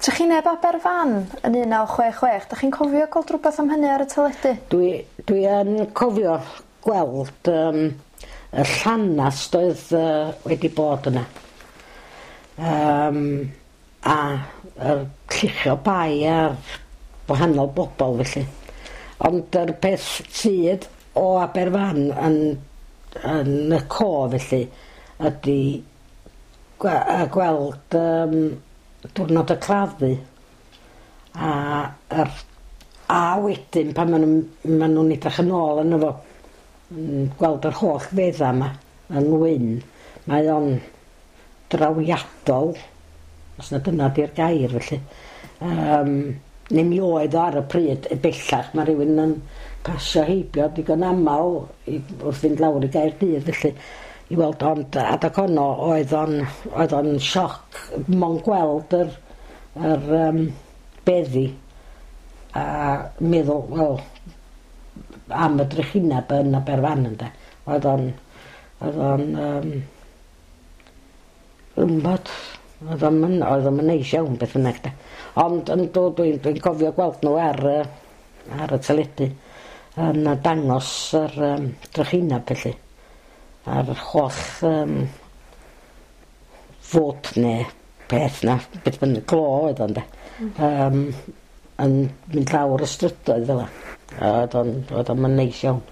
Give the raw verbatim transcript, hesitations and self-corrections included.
Trychineb Aberfan yn un naw chwech chwech, dach chi'n cofio gweld rhywbeth am hynny ar y teledu? Dwi, dwi yn cofio gweld um, y llanast oedd uh, wedi bod yna. Um, a yr lluchio bai ar wahanol bobl felly. Ond yr peth sydd o Aberfan yn, yn y co felly ydy gwe- gweld um, diwrnod y claddu a, yr, a wedyn pan maen nhw'n ma nhw'n edrych yn ôl yno fo, yn gweld yr holl fedda yma yn wyn, mae o'n drawiadol, os na dyna di'r gair felly. Um, neu mi oedd o ar y pryd, e bellach mae rhywun yn pasio heibio digon aml i, wrth fynd lawr i Gaerdydd felly i weld, ond adag honno oedd o'n oedd o'n sioc mond gweld yr, yr um, beddi a meddwl, wel, am y drychineb yn Aberfan ynde. Oedd o'n oedd o'n um, wmbod, oedd o'n oedd o'n neis iawn beth bynnag de. Ond yn dod dwi'n dwi'n cofio gweld nhw ar y ar y teledu yn dangos yr um, drychineb felly. A'r holl um, fod neu peth na, beth bynnag glo oedd o'n de, um, yn mynd lawr y strydoedd fel 'a. Oedd o'n oedd o'n neis iawn.